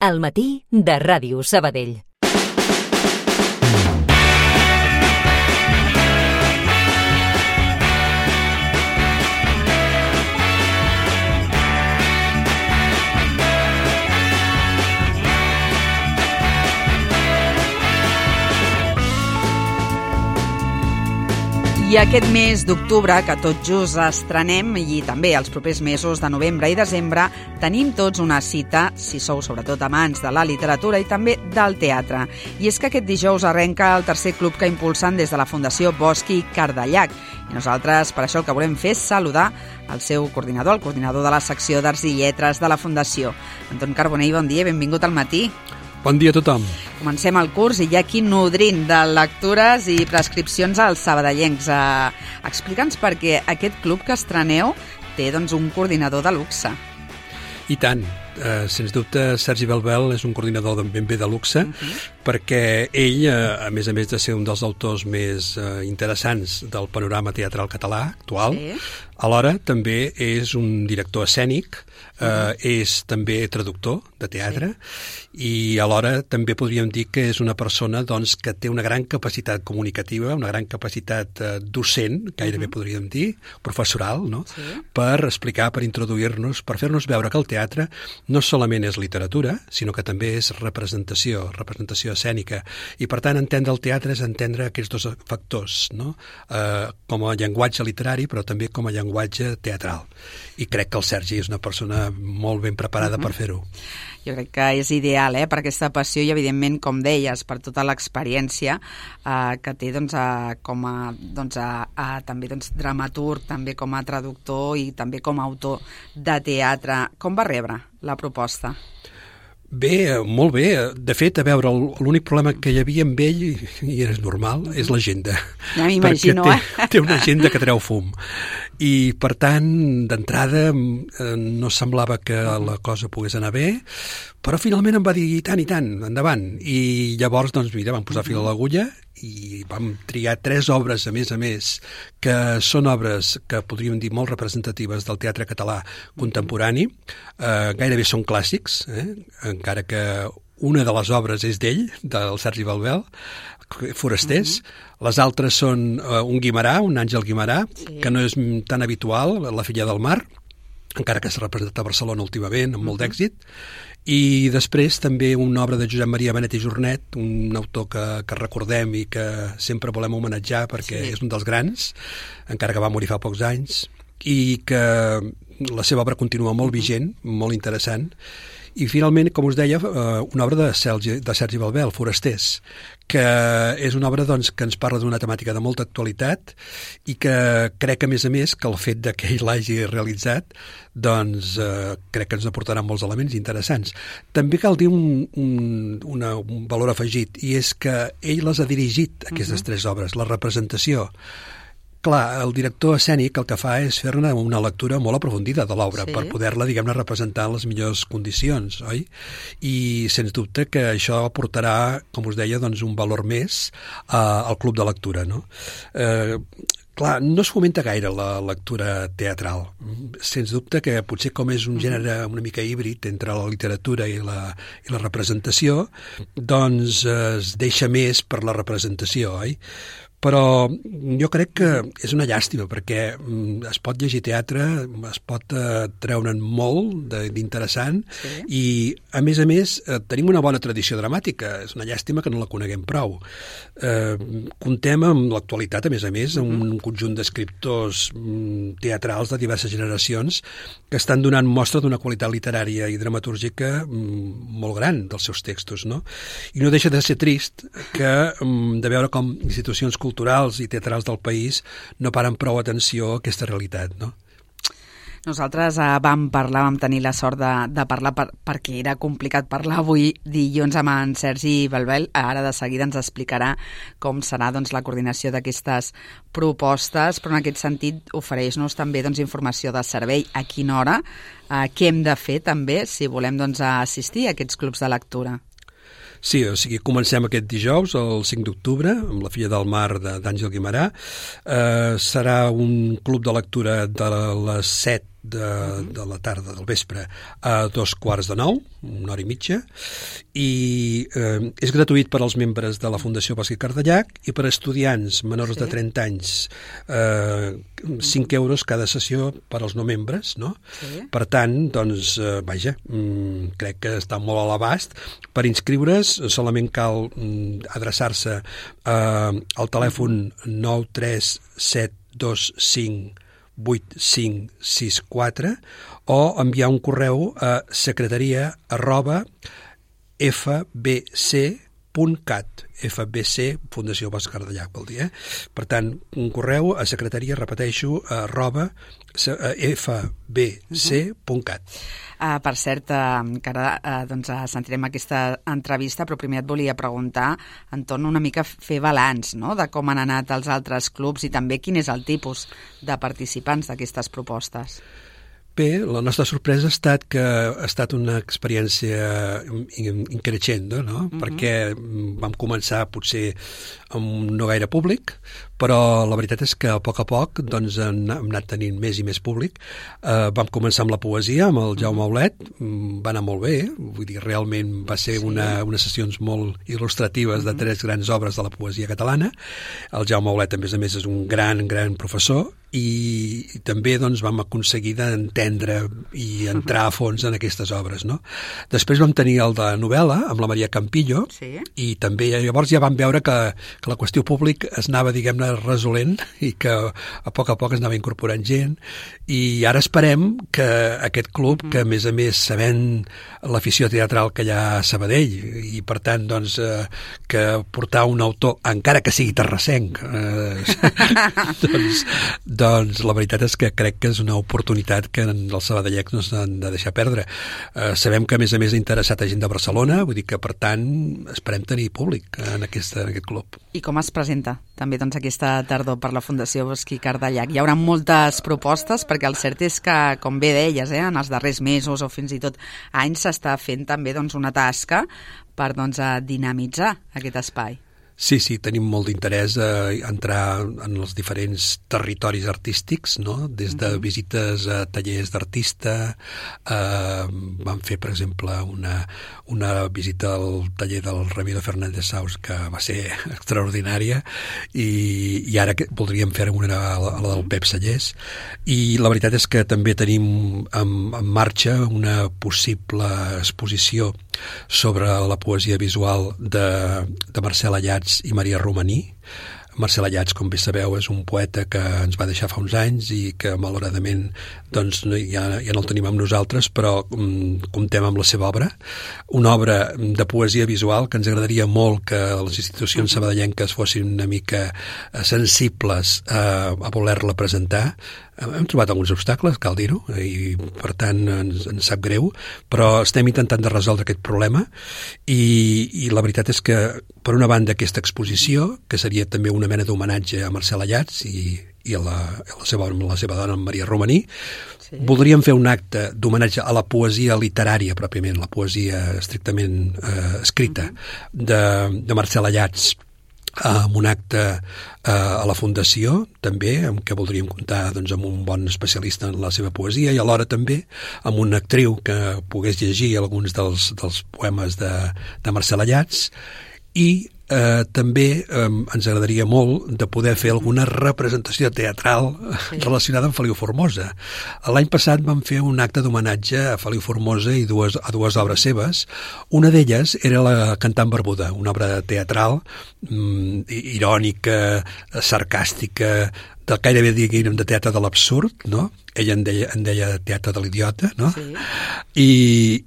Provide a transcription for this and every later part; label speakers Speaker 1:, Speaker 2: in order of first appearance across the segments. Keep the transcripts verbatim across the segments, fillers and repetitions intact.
Speaker 1: Al matí de Ràdio Sabadell.
Speaker 2: I aquest mes d'octubre, que tot just estrenem, i també els propers mesos de novembre i desembre, tenim tots una cita, si sou sobretot amants de la literatura i també del teatre. I és que aquest dijous arrenca el tercer club que impulsen des de la Fundació Bosch i Cardellac. I nosaltres, per això, el que volem fer és saludar el seu coordinador, el coordinador de la secció d'Arts i Lletres de la Fundació. Anton Carbonell, bon dia, benvingut al matí.
Speaker 3: Bon dia a tothom.
Speaker 2: Comencem el curs i ja aquí nodrint de lectures i prescripcions als sabadellencs. Eh, Explica'ns per què aquest club que estreneu té doncs, un coordinador de luxe.
Speaker 3: I tant. Uh, sens dubte, Sergi Belbel és un coordinador ben bé de luxe, uh-huh. perquè ell, uh, a més a més de ser un dels autors més uh, interessants del panorama teatral català actual, sí. alhora també és un director escènic, uh, uh-huh. és també traductor de teatre, sí. i alhora també podríem dir que és una persona doncs, que té una gran capacitat comunicativa, una gran capacitat uh, docent, gairebé uh-huh. podríem dir, professoral, no? sí. per explicar, per introduir-nos, per fer-nos veure que el teatre no solament és literatura, sinó que també és representació, representació escènica. I, per tant, entendre el teatre és entendre aquests dos factors, no? Eh, com a llenguatge literari, però també com a llenguatge teatral. I crec que el Sergi és una persona molt ben preparada uh-huh. per fer-ho.
Speaker 2: Jo crec que és ideal, eh, per aquesta passió i, evidentment, com deies, per tota l'experiència eh, que té doncs, a, com a, doncs, a, a també doncs, dramaturg, també com a traductor i també com a autor de teatre. Com va rebre la proposta?
Speaker 3: Bé, molt bé. De fet, a veure, l'únic problema que hi havia amb ell, i és normal, és l'agenda.
Speaker 2: Ja m'imagino,
Speaker 3: eh? Té, té una agenda que treu fum. I, per tant, d'entrada, no semblava que la cosa pogués anar bé, però finalment em va dir, i tant, i tant, endavant. I llavors, doncs, mira, vam posar fil a l'agulla i vam triar tres obres, a més a més, que són obres que podríem dir molt representatives del teatre català contemporani. Eh, gairebé són clàssics, eh? encara que una de les obres és d'ell, del Sergi Belbel, Forasters. Uh-huh. Les altres són uh, un Guimerà, un Àngel Guimerà, sí. que no és tan habitual, La filla del mar, encara que s'ha representat a Barcelona últimament, amb molt uh-huh. d'èxit. I després també una obra de Josep Maria Benet i Jornet, un autor que, que recordem i que sempre volem homenatjar perquè sí. és un dels grans, encara que va morir fa pocs anys, i que la seva obra continua molt uh-huh. vigent, molt interessant. I finalment, com us deia, una obra de Sergi, de Sergi Belbel, Forasters, que és una obra doncs, que ens parla d'una temàtica de molta actualitat i que crec, a més a més, que el fet de que ell l'hagi realitzat doncs eh, crec que ens aportarà molts elements interessants. També cal dir un, un, una, un valor afegit, i és que ell les ha dirigit, aquestes uh-huh. tres obres, la representació. Clar, el director escènic el que fa és fer-ne una lectura molt aprofundida de l'obra sí. per poder-la, diguem-ne, representar en les millors condicions, oi? I, sens dubte, que això aportarà, com us deia, doncs, un valor més uh, al club de lectura, no? Eh, clar, no es fomenta gaire la lectura teatral. Sens dubte que potser com és un gènere una mica híbrid entre la literatura i la, i la representació, doncs es deixa més per la representació, oi? Però jo crec que és una llàstima perquè es pot llegir teatre, es pot eh, treure'n molt d'interessant sí. i, a més a més, eh, tenim una bona tradició dramàtica. És una llàstima que no la coneguem prou. Eh, contem amb l'actualitat, a més a més, amb un conjunt d'escriptors teatrals de diverses generacions que estan donant mostra d'una qualitat literària i dramatúrgica molt gran dels seus textos, no? I no deixa de ser trist que de veure com institucions culturals i teatrals del país no paren prou atenció a aquesta realitat, no?
Speaker 2: Nosaltres eh, vam parlar, vam tenir la sort de, de parlar per, perquè era complicat parlar avui dilluns amb en Sergi Belbel. Ara de seguida ens explicarà com serà doncs, la coordinació d'aquestes propostes, però en aquest sentit ofereix-nos també doncs, informació de servei, a quina hora, eh, què hem de fer també si volem doncs, assistir a aquests clubs de lectura.
Speaker 3: Sí, o sigui, comencem aquest dijous, el cinc d'octubre, amb La filla del mar d'Àngel Guimerà. Eh, serà un club de lectura de les set de, de la tarda, del vespre, a dos quarts de nou, una hora i mitja, i eh, és gratuït per als membres de la Fundació Bosc i Cardellac i per a estudiants menors sí. de trenta anys, eh, cinc euros cada sessió per als no membres, no? Sí. Per tant, doncs, eh, vaja, mm, crec que està molt a l'abast. Per inscriure's solament cal mm, adreçar-se eh, al telèfon nou tres set dos cinc vuit cinc sis quatre o enviar un correu a secretaria arroba fbc punt cat, F B C, Fundació Bosc Cardellac, vol dir, eh? Per tant, un correu a secretaria, repeteixo, arroba fbc punt cat.
Speaker 2: Uh, per cert, uh, que ara uh, doncs, uh, sentirem aquesta entrevista, però primer et volia preguntar entorn una mica fer balanç, no?, de com han anat els altres clubs i també quin és el tipus de participants d'aquestes propostes.
Speaker 3: Bé, la nostra sorpresa ha estat que ha estat una experiència increixendo, no? Mm-hmm. Perquè vam començar potser amb no gaire públic, però la veritat és que a poc a poc doncs, hem anat tenint més i més públic. Eh, vam començar amb la poesia, amb el Jaume Aulet, va anar molt bé, vull dir, realment va ser sí. una, unes sessions molt il·lustratives de tres grans obres de la poesia catalana. El Jaume Aulet, a més a més, és un gran, gran professor, i, i també doncs, vam aconseguir d'entendre i entrar a fons en aquestes obres, no? Després vam tenir el de novel·la, amb la Maria Campillo, sí. i també llavors ja vam veure que, que la qüestió públic es anava, diguem-ne, resolent i que a poc a poc es anava incorporant gent, i ara esperem que aquest club, mm. que a més a més sabent l'afició teatral que hi ha a Sabadell, i per tant doncs, eh, que portar un autor, encara que sigui terrassenc, eh, doncs, doncs la veritat és que crec que és una oportunitat que els sabadellencs no s'han de deixar perdre. Eh, sabem que a més a més ha interessat a gent de Barcelona, vull dir que per tant esperem tenir públic en, aquesta, en aquest club.
Speaker 2: I com es presenta també doncs, aquesta tardor per la Fundació Bosc i Cardellac? Hi haurà moltes propostes, perquè el cert és que, com bé deies, eh, en els darrers mesos o fins i tot anys s'està fent també doncs, una tasca per doncs, a dinamitzar aquest espai.
Speaker 3: Sí, sí, tenim molt d'interès a entrar en els diferents territoris artístics, no? Des de uh-huh. visites a tallers d'artista, eh, vam fer, per exemple, una, una visita al taller del Ramiro Fernández Saus, que va ser extraordinària, i, i ara que voldríem fer una a la, a la del Pep Sallés, i la veritat és que també tenim en, en marxa una possible exposició sobre la poesia visual de, de Marcel Ayats i Maria Romaní. Marcel Ayats, com bé sabeu, és un poeta que ens va deixar fa uns anys i que malauradament doncs, ja, ja no el tenim amb nosaltres, però um, comptem amb la seva obra. Una obra de poesia visual que ens agradaria molt que les institucions sabadellenques fossin una mica sensibles a, a voler-la presentar. Hem trobat alguns obstacles, cal dir-ho, i per tant ens, ens sap greu, però estem intentant de resoldre aquest problema, i, i la veritat és que, per una banda, aquesta exposició, que seria també una mena d'homenatge a Marcel Ayats i, i a, la, a la, seva, la seva dona, Maria Romaní, sí. Voldríem fer un acte d'homenatge a la poesia literària, pròpiament, la poesia estrictament eh, escrita, uh-huh. de, de Marcel Ayats, amb un acte eh, a la Fundació, també, amb què voldríem comptar doncs, amb un bon especialista en la seva poesia, i alhora també amb una actriu que pogués llegir alguns dels, dels poemes de, de Marcel Ayats, i eh, també eh, ens agradaria molt de poder fer alguna representació teatral sí. relacionada amb Feliu Formosa. L'any passat vam fer un acte d'homenatge a Feliu Formosa i dues, a dues obres seves. Una d'elles era la Cantant Barbuda, una obra teatral mm, irònica, sarcàstica, de gairebé diguem de teatre de l'absurd, no? Ella en deia, en deia teatre de l'idiota, no? Sí. I,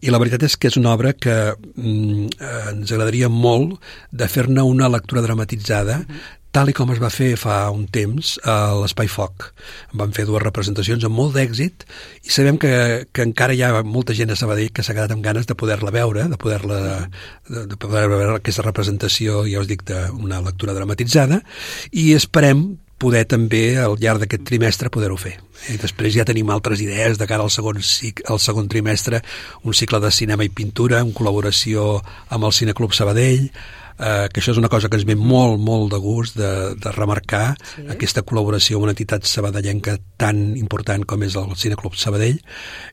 Speaker 3: I la veritat és que és una obra que mm, ens agradaria molt de fer-ne una lectura dramatitzada, uh-huh. tal i com es va fer fa un temps a l'Espai Foc. Vam fer dues representacions amb molt d'èxit, i sabem que, que encara hi ha molta gent a Sabadell que s'ha quedat amb ganes de poder-la veure, de poder-la de, de poder veure aquesta representació, ja us dic, d'una lectura dramatitzada, i esperem poder també al llarg d'aquest trimestre poder-ho fer. I després ja tenim altres idees de cara al segon, al segon trimestre, un cicle de cinema i pintura en col·laboració amb el Cineclub Sabadell, eh, que això és una cosa que ens ve molt, molt de gust de, de remarcar, sí. Aquesta col·laboració amb una entitat sabadellenca tan important com és el Cineclub Sabadell,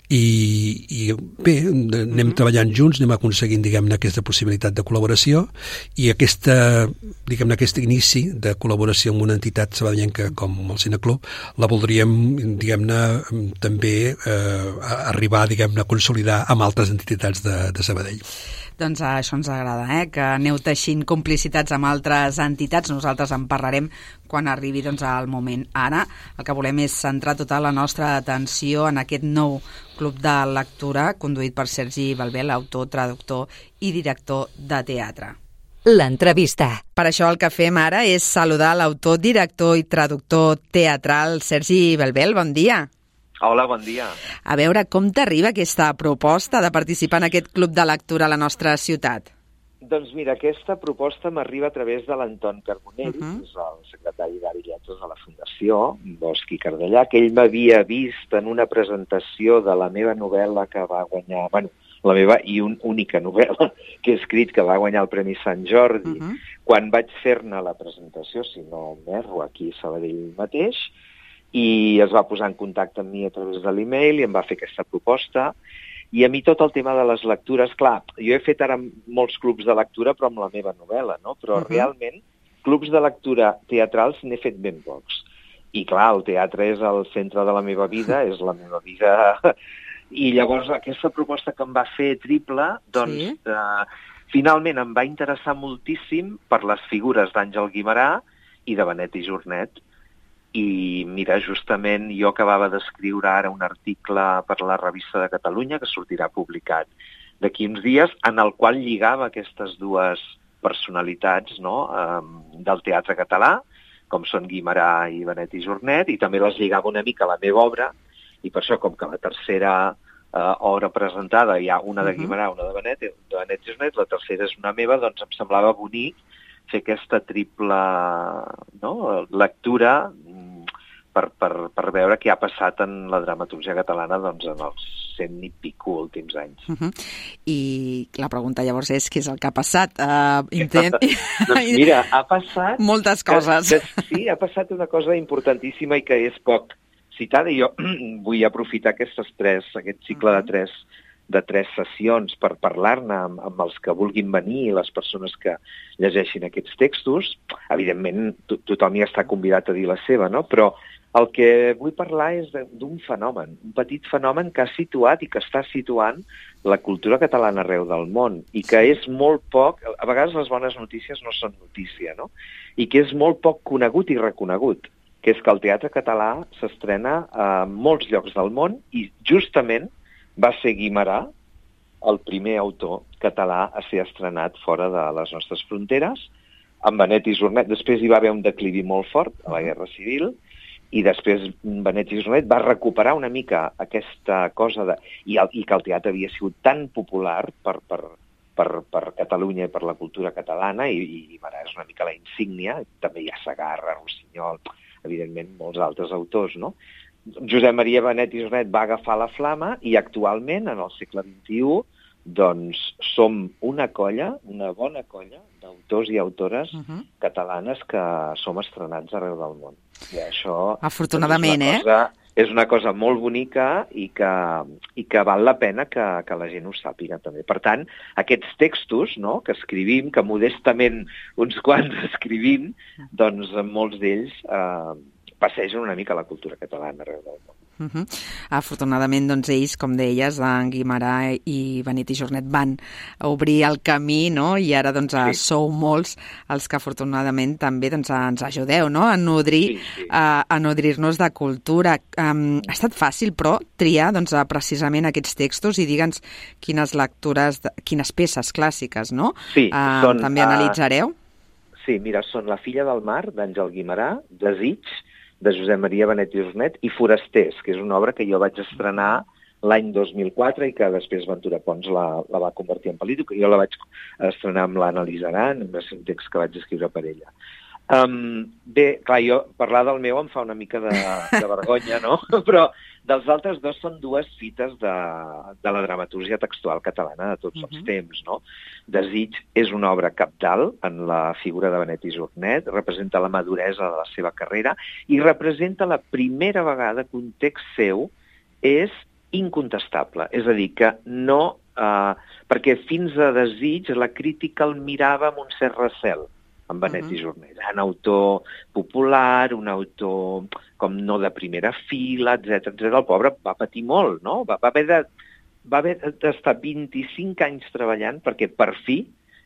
Speaker 3: i, i bé, anem mm-hmm. treballant junts, anem aconseguint, diguem-ne, aquesta possibilitat de col·laboració, i aquesta, diguem-ne, aquest inici de col·laboració amb una entitat sabadellenca com el Cineclub, la voldríem, diguem-ne, també eh, arribar, diguem-ne, a consolidar amb altres entitats de, de Sabadell.
Speaker 2: Doncs això ens agrada, eh? Que aneu teixint complicitats amb altres entitats. Nosaltres en parlarem quan arribi doncs, el moment. Ara el que volem és centrar tota la nostra atenció en aquest nou club de lectura conduït per Sergi Belbel, autor, traductor i director de teatre.
Speaker 1: L'entrevista.
Speaker 2: Per això el que fem ara és saludar l'autor, director i traductor teatral Sergi Belbel. Bon dia.
Speaker 4: Hola, bon dia.
Speaker 2: A veure, com t'arriba aquesta proposta de participar en aquest club de lectura a la nostra ciutat?
Speaker 4: Doncs mira, aquesta proposta m'arriba a través de l'Anton Carbonell, uh -huh. que és el secretari d'Art i Lletres de la Fundació, Bosch i Cardellà, que ell m'havia vist en una presentació de la meva novel·la que va guanyar, bueno, la meva i un, única novel·la que he escrit, que va guanyar el Premi Sant Jordi, uh -huh. quan vaig fer-ne la presentació, si no m'erro, aquí a Sabadell mateix, i es va posar en contacte amb mi a través de l'e-mail i em va fer aquesta proposta. I a mi tot el tema de les lectures, clar, jo he fet ara molts clubs de lectura, però amb la meva novel·la, no? Però uh-huh. realment, clubs de lectura teatrals n'he fet ben pocs. I clar, el teatre és el centre de la meva vida, és la meva vida. I llavors aquesta proposta que em va fer triple, doncs, sí. eh, finalment em va interessar moltíssim per les figures d'Àngel Guimerà i de Benet i Jornet. I mira, justament jo acabava d'escriure ara un article per la Revista de Catalunya, que sortirà publicat d'aquí uns dies, en el qual lligava aquestes dues personalitats, no?, eh, del teatre català, com són Guimerà i Benet i Jornet, i també les lligava una mica a la meva obra, i per això, com que la tercera eh, obra presentada hi ha una de Guimerà, una de Benet, de Benet i Jornet, la tercera és una meva, doncs em semblava bonic fer aquesta triple, no?, lectura per, per, per veure què ha passat en la dramaturgia catalana doncs, en els cent i pico últims anys.
Speaker 2: Uh-huh. I la pregunta llavors és què és el que ha passat? Uh, intent...
Speaker 4: doncs mira, ha passat...
Speaker 2: Moltes coses.
Speaker 4: Que, que, sí, ha passat una cosa importantíssima i que és poc citada, i jo vull aprofitar aquestes tres, aquest cicle uh-huh. de tres de tres sessions per parlar-ne amb, amb els que vulguin venir i les persones que llegeixin aquests textos. Evidentment, to tothom hi està convidat a dir la seva, no? Però el que vull parlar és d'un fenomen, un petit fenomen que ha situat i que està situant la cultura catalana arreu del món i que és molt poc, a vegades les bones notícies no són notícia, no? I que és molt poc conegut i reconegut, que és que el teatre català s'estrena a molts llocs del món i justament va ser Guimerà el primer autor català a ser estrenat fora de les nostres fronteres, amb Benet i Jornet. Després hi va haver un declivi molt fort a la Guerra Civil, i després Benet i Jornet va recuperar una mica aquesta cosa de... I, el, i que el teatre havia sigut tan popular per, per, per, per Catalunya i per la cultura catalana, i, i Guimerà és una mica la insígnia, també hi ha Segarra, Rossinyol, evidentment molts altres autors, no? Josep Maria Benet i Jornet va agafar la flama i actualment, en el segle vint-i-u, doncs som una colla, una bona colla d'autors i autores uh-huh. catalanes que som estrenats arreu del món. I això
Speaker 2: afortunadament,
Speaker 4: és, una cosa, eh? és una cosa molt bonica i que, i que val la pena que, que la gent ho sàpiga també. Per tant, aquests textos, no?, que escrivim, que modestament uns quants escrivim, doncs molts d'ells eh, passegen una mica la cultura catalana arreu del món.
Speaker 2: Uh-huh. Afortunadament, doncs, ells, com deies, en Guimerà i Benet i Jornet van obrir el camí, no?, i ara doncs, sí. sou molts els que afortunadament també doncs, ens ajudeu, no?, a nodrir, sí, sí. a, a nodrir-nos de cultura. Um, ha estat fàcil, però, triar doncs, precisament aquests textos i digue'ns quines lectures, quines peces clàssiques, no?,
Speaker 4: sí,
Speaker 2: uh,
Speaker 4: són,
Speaker 2: també analitzareu.
Speaker 4: Uh, sí, mira, són La filla del mar, d'Àngel Guimerà, Desig, de Josep Maria Benet i Jornet, i Forasters, que és una obra que jo vaig estrenar l'any dos mil quatre i que després Ventura Pons la, la va convertir en pel·lícula, que jo la vaig estrenar amb l'Anna-Lisa Aran, un text que vaig escriure per ella. Um, bé, clar, jo parlar del meu em fa una mica de, de vergonya, no? Però Dels altres dos són dues fites de, de la dramatúrgia textual catalana de tots uh-huh. els temps, no? Desig és una obra cabdal en la figura de Benet i Jornet, representa la maduresa de la seva carrera i representa la primera vegada que un text seu és incontestable. És a dir, que no... Uh, perquè fins a Desig la crítica el mirava amb un cert recel, amb Benet uh-huh. i Jornet. Un autor popular, un autor com no de primera fila, etcètera etcètera. El pobre va patir molt, no? Va, va haver de, va haver d'estar vint-i-cinc anys treballant perquè per fi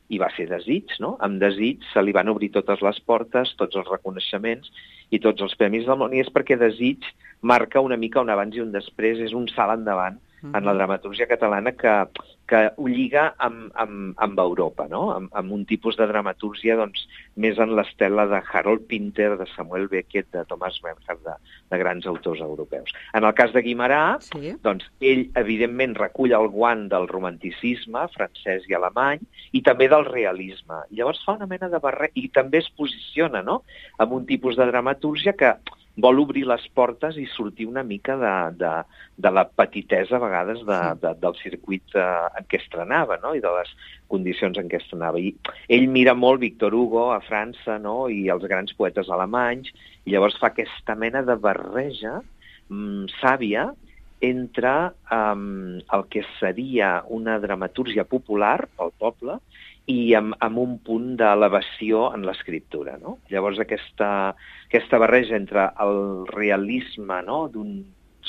Speaker 4: hi va ser Desig, no? Amb Desig se li van obrir totes les portes, tots els reconeixements i tots els premis del món, i és perquè Desig marca una mica un abans i un després, és un salt endavant en la dramatúrgia catalana que, que ho lliga amb, amb, amb Europa, no? Amb, amb un tipus de dramatúrgia doncs, més en l'estela de Harold Pinter, de Samuel Beckett, de Thomas Bernhard, de, de grans autors europeus. En el cas de Guimerà, sí. doncs, ell evidentment recull el guant del romanticisme francès i alemany i també del realisme. Llavors fa una mena de barret i també es posiciona, no?, amb un tipus de dramatúrgia que vol obrir les portes i sortir una mica de, de, de la petitesa a vegades de, de, del circuit eh, en què estrenava, no?, i de les condicions en què estrenava. I ell mira molt Victor Hugo a França, no?, i els grans poetes alemanys, i llavors fa aquesta mena de barreja mm, sàvia entre um, el que seria una dramatúrgia popular pel poble i amb, amb un punt d'elevació en l'escriptura, no? Llavors aquesta, aquesta barreja entre el realisme, no?, d'un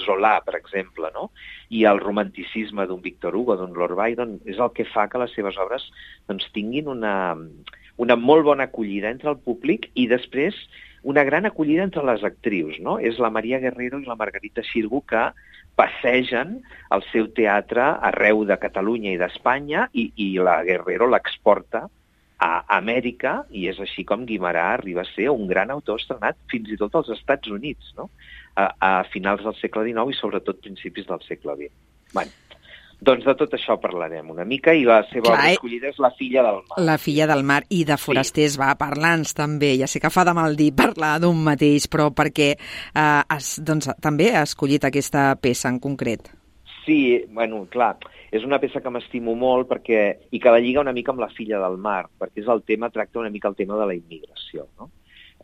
Speaker 4: Zola, per exemple, no?, i el romanticisme d'un Victor Hugo, d'un Lord Byron, és el que fa que les seves obres doncs, tinguin una, una molt bona acollida entre el públic i després una gran acollida entre les actrius, no? És la Maria Guerrero i la Margarita Xirgu que passegen el seu teatre arreu de Catalunya i d'Espanya i, i la Guerrero l'exporta a Amèrica i és així com Guimerà arriba a ser un gran autor estrenat fins i tot als Estats Units, no?, a, a finals del segle dinou i sobretot principis del segle vint. Bé, doncs de tot això parlarem una mica i la seva obra escollida és La filla del mar.
Speaker 2: La filla del mar i de Forasters, sí. Va, parla'ns també. Ja sé que fa de mal dir parlar d'un mateix, però perquè eh, has, doncs, també ha escollit aquesta peça en concret.
Speaker 4: Sí, bueno, clar, és una peça que m'estimo molt perquè, i que la lliga una mica amb La filla del mar, perquè és el tema, tracta una mica el tema de la immigració, no?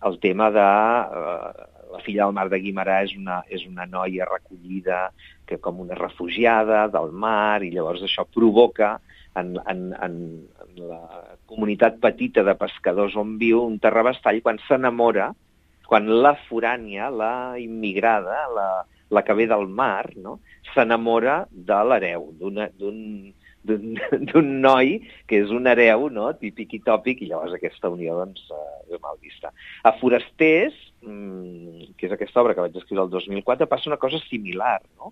Speaker 4: El tema de... Eh, La filla del mar de Guimerà és una, és una noia recollida que com una refugiada del mar i llavors això provoca en, en, en, en la comunitat petita de pescadors on viu un terrabastall quan s'enamora, quan la forània, la immigrada, la, la que ve del mar, no?, s'enamora de l'hereu, d'un d'un noi que és un hereu, no?, típic i tòpic, i llavors aquesta unió doncs, és mal vista. A Forasters, que és aquesta obra que vaig escriure el dos mil quatre, passa una cosa similar, no?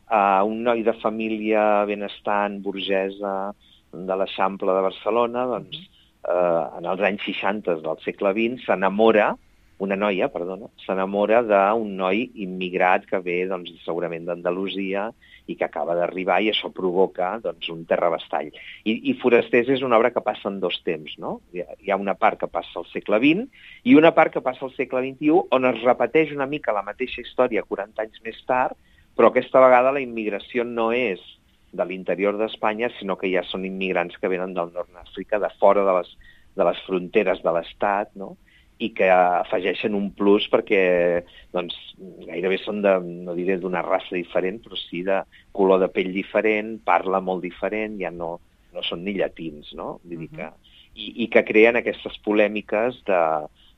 Speaker 4: Uh, un noi de família benestant, burgesa, de l'Eixample de Barcelona, doncs, uh, en els anys seixanta del segle vint, s'enamora, una noia, perdona, s'enamora d'un noi immigrat que ve, doncs, segurament d'Andalusia i que acaba d'arribar i això provoca, doncs, un terrabastall. I, i Forasters és una obra que passa en dos temps, no? Hi ha, hi ha una part que passa al segle vint i una part que passa al segle vint-i-u on es repeteix una mica la mateixa història quaranta anys més tard, però aquesta vegada la immigració no és de l'interior d'Espanya, sinó que ja són immigrants que venen del nord d'Àfrica, de fora de les, de les fronteres de l'Estat, no?, i que afegeixen un plus perquè doncs, gairebé són, de, no diré d'una raça diferent, però sí de color de pell diferent, parla molt diferent, ja no, no són ni llatins, no? Vull dir que, i, i que creen aquestes polèmiques de,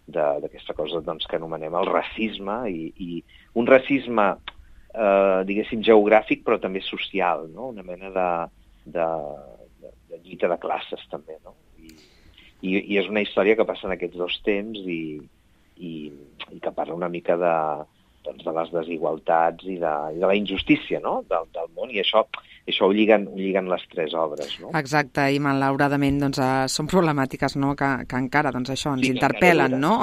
Speaker 4: de, d'aquesta cosa doncs, que anomenem el racisme, i, i un racisme, eh, diguéssim, geogràfic, però també social, no? Una mena de, de, de, de lluita de classes, també, no? I, I, i és una història que passa en aquests dos temps i, i, i que parla una mica de, doncs, de les desigualtats i de, i de la injustícia, no?, del, del món, i això, això ho, lliguen, ho lliguen les tres obres, no?
Speaker 2: Exacte, i malauradament doncs, uh, són problemàtiques, no?, que, que encara doncs, això ens sí, interpel·len, no?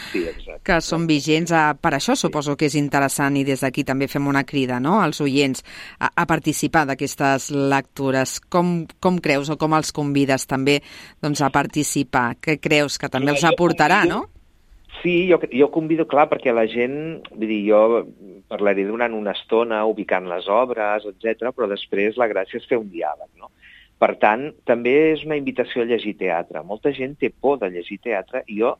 Speaker 4: Sí, exacte.
Speaker 2: Que són vigents. Uh, per això suposo que és interessant i des d'aquí també fem una crida, no?, als oients a, a participar d'aquestes lectures. Com, com creus o com els convides també doncs, a participar? Què creus que també els aportarà, no?
Speaker 4: Sí, jo, jo convido, clar, perquè la gent, vull dir, jo parlaré durant una estona ubicant les obres, etcètera, però després la gràcia és fer un diàleg, no? Per tant, també és una invitació a llegir teatre. Molta gent té por de llegir teatre i jo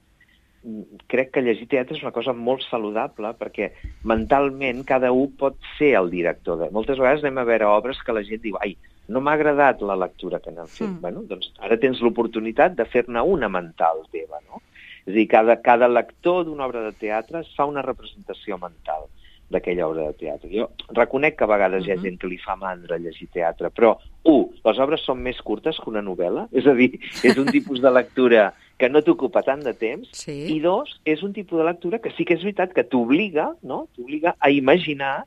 Speaker 4: crec que llegir teatre és una cosa molt saludable perquè mentalment cada un pot ser el director. De... Moltes vegades anem a veure obres que la gent diu ai, no m'ha agradat la lectura que n'han fet. Mm. Bueno, doncs ara tens l'oportunitat de fer-ne una mental teva, no? És a dir, cada, cada lector d'una obra de teatre es fa una representació mental d'aquella obra de teatre. Jo reconec que a vegades uh-huh. hi ha gent que li fa mandra llegir teatre, però, un, les obres són més curtes que una novel·la, és a dir, és un tipus de lectura que no t'ocupa tant de temps, sí. I dos, és un tipus de lectura que sí que és veritat que t'obliga, no? T'obliga a imaginar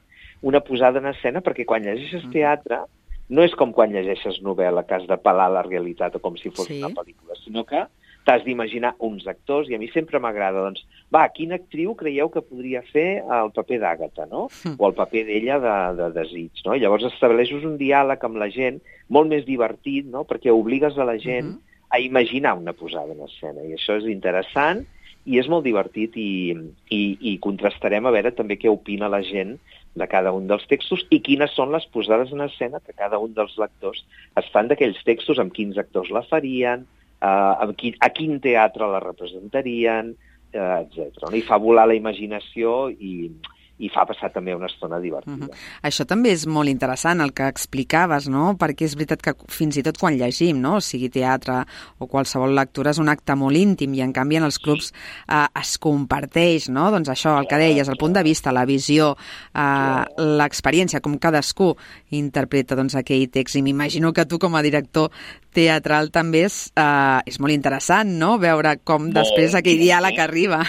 Speaker 4: una posada en escena, perquè quan llegeixes uh-huh. teatre no és com quan llegeixes novel·la, que has de pelar la realitat o com si fos sí. una pel·lícula, sinó que t'has d'imaginar uns actors, i a mi sempre m'agrada, doncs, va, quina actriu creieu que podria fer el paper d'Àgata, no? Mm. O el paper d'ella de, de desig, no? I llavors estableixes un diàleg amb la gent molt més divertit, no? Perquè obligues a la gent mm-hmm. a imaginar una posada en escena, i això és interessant i és molt divertit, i, i, i contrastarem a veure també què opina la gent de cada un dels textos i quines són les posades en escena que cada un dels lectors es fan d'aquells textos, amb quins actors la farien, Uh, a, quin, a quin teatre la representarien, uh, etcètera. I fa volar la imaginació i, i fa passar també una estona divertida. Uh-huh.
Speaker 2: Això també és molt interessant, el que explicaves, no? Perquè és veritat que fins i tot quan llegim, no? O sigui teatre o qualsevol lectura és un acte molt íntim i en canvi en els clubs eh, es comparteix, no? Doncs això, el que deies, el punt de vista, la visió, eh, l'experiència, com cadascú interpreta doncs, aquell text. I m'imagino que tu com a director teatral també és, eh, és molt interessant, no? Veure com molt després aquell diàleg arriba.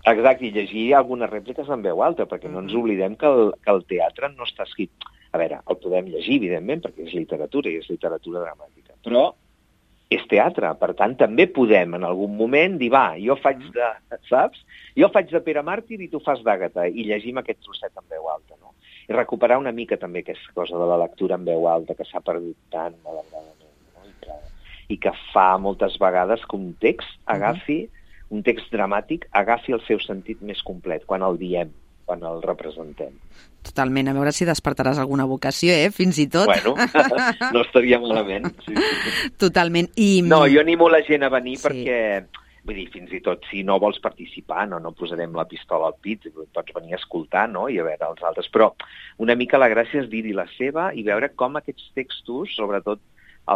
Speaker 4: Exacte, i llegir algunes rèpliques en veu alta, perquè no ens oblidem que el, que el teatre no està escrit... A veure, el podem llegir, evidentment, perquè és literatura i és literatura dramàtica, però és teatre, per tant, també podem en algun moment dir, va, jo faig de... Saps? Jo faig de Pere Màrtir i tu fas d'Àgata, i llegim aquest trosset en veu alta, no? I recuperar una mica també aquesta cosa de la lectura en veu alta, que s'ha perdut tant, malauradament, no? I que, i que fa moltes vegades que un text agafi... Uh-huh. un text dramàtic agafi el seu sentit més complet, quan el diem, quan el representem.
Speaker 2: Totalment, a veure si despertaràs alguna vocació, eh? Fins i tot.
Speaker 4: Bueno, no estaria malament. Sí, sí.
Speaker 2: Totalment. I...
Speaker 4: No, jo animo la gent a venir sí. perquè, vull dir, fins i tot si no vols participar, no, no posarem la pistola al pit, pots venir a escoltar, no?, i a veure els altres, però una mica la gràcia és dir-hi la seva i veure com aquests textos, sobretot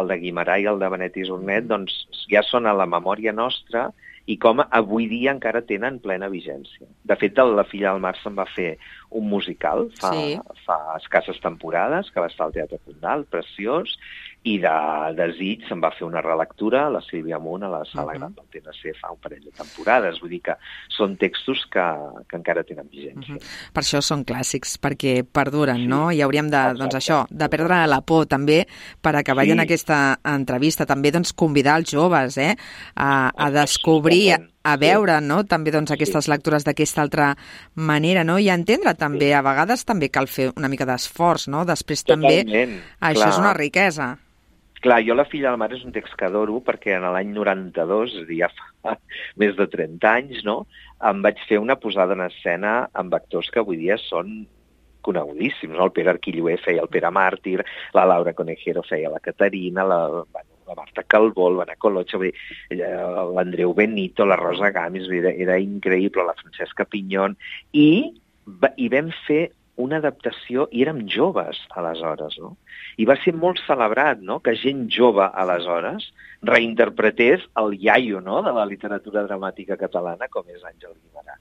Speaker 4: el de Guimarà i el de Benet i Jornet, doncs ja són a la memòria nostra i com avui dia encara tenen plena vigència. De fet, La filla del mar se'n va fer un musical fa, sí. fa escasses temporades, que va estar al Teatre Condal, preciós, i de Desig se'n va fer una relectura, la Sílvia Munt, a la Sala uh-huh. Gran del T N C fa un parell de temporades. Vull dir que són textos que, que encara tenen vigència.
Speaker 2: Uh-huh. Per això són clàssics, perquè perduren, sí. no? I hauríem de, doncs això, de perdre la por també per acabar sí. en aquesta entrevista. També doncs, convidar els joves eh, a, a descobrir, a, a veure sí. no? també doncs, aquestes sí. lectures d'aquesta altra manera, no? I entendre també, sí. a vegades també cal fer una mica d'esforç, no? Després
Speaker 4: Totalment,
Speaker 2: també, això
Speaker 4: clar.
Speaker 2: És una riquesa.
Speaker 4: Clar, jo La filla del mar és un text que adoro perquè en l'any noranta-dos, és a dir, ja fa més de trenta anys, no?, em vaig fer una posada en escena amb actors que avui dia són conegudíssims, no? El Pere Arquilloé feia el Pere Màrtir, la Laura Conejero feia la Caterina, la, bueno, la Marta Calvó, el Benet Colocha, l'Andreu Benito, la Rosa Gamis, era, era increïble, la Francesca Pinyón, i, i vam fer una adaptació, i érem joves aleshores, no? I va ser molt celebrat, no?, que gent jove aleshores reinterpretés el iaio, no?, de la literatura dramàtica catalana, com és Àngel Guimarà.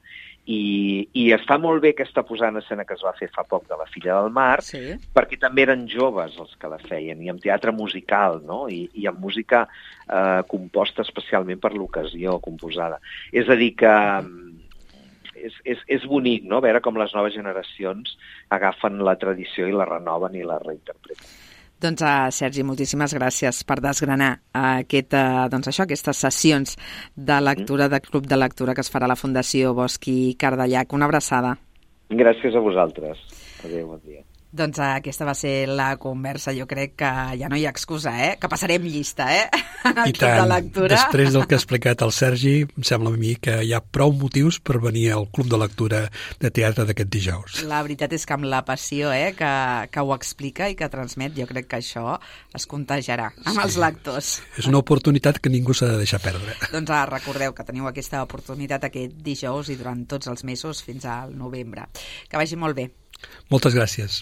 Speaker 4: I, i està molt bé aquesta posada en escena que es va fer fa poc de La filla del mar, sí. perquè també eren joves els que la feien, i amb teatre musical, no?, i, i amb música eh, composta especialment per l'ocasió, composada. És a dir que... És, és, és bonic, no?, veure com les noves generacions agafen la tradició i la renoven i la reinterpreten.
Speaker 2: Doncs, uh, Sergi, moltíssimes gràcies per desgranar uh, aquest, uh, doncs això, aquestes sessions de lectura, de Club de Lectura que es farà a la Fundació Bosch i Cardellac. Una abraçada.
Speaker 4: Gràcies a vosaltres. Adéu, bon dia.
Speaker 2: Doncs aquesta va ser la conversa. Jo crec que ja no hi ha excusa, eh? Que passarem llista, eh? En el
Speaker 3: I
Speaker 2: Club de Lectura.
Speaker 3: Després del que ha explicat el Sergi, em sembla a mi que hi ha prou motius per venir al Club de Lectura de Teatre d'aquest dijous.
Speaker 2: La veritat és que amb la passió eh, que, que ho explica i que transmet, jo crec que això es contagiarà amb sí. els lectors.
Speaker 3: És una oportunitat que ningú s'ha de deixar perdre.
Speaker 2: Doncs ah, recordeu que teniu aquesta oportunitat aquest dijous i durant tots els mesos fins al novembre. Que vagi molt bé.
Speaker 3: Moltes gràcies.